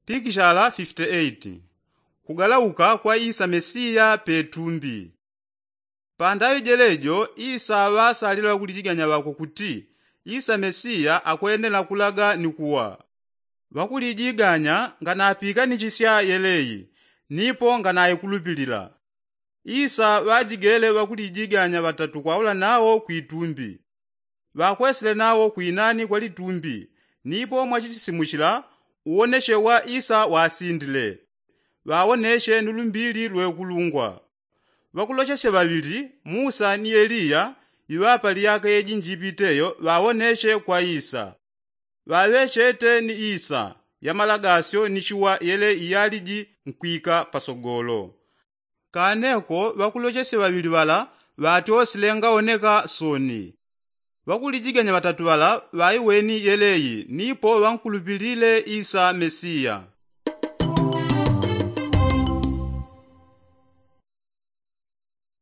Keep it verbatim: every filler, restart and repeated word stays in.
Pikishala fifite eiti. Kugalauka kwa isa mesiya petumbi. Pandaŵi jelejo isa ŵasalile ŵakulijiganya ŵakwe kuti isa mesiya akwenela kulaga ni kuwa. Ŵakulijiganya nganapiikanichisya yeleyi, nipo nganaikulupilila. Isa ŵajigele ŵakulijiganya ŵatatu kwaula nawo kwitumbi. Ŵakwesile nawo kwinani kwa litumbi, nipo mwachisisimuchila uwoneshe wa isa wasindile. Ŵawoneshe ni lumbili lwekulungwa. Ŵakulochesye ŵaŵili, musa ni eliya, iŵapa lyaka yeji njipiteyo ŵawoneshe kwa isa. Ŵaŵechete ni isa ya malagasyo ni chiwa yele iyaliji nkwika pasogolo. Kaneko ŵakulochesye ŵaŵili ŵala ŵatyosile ngawoneka soni. Ŵakulijiganya ŵatatu ŵala ŵaiweni yeleyi nipo ŵankulupilile isa mesiya.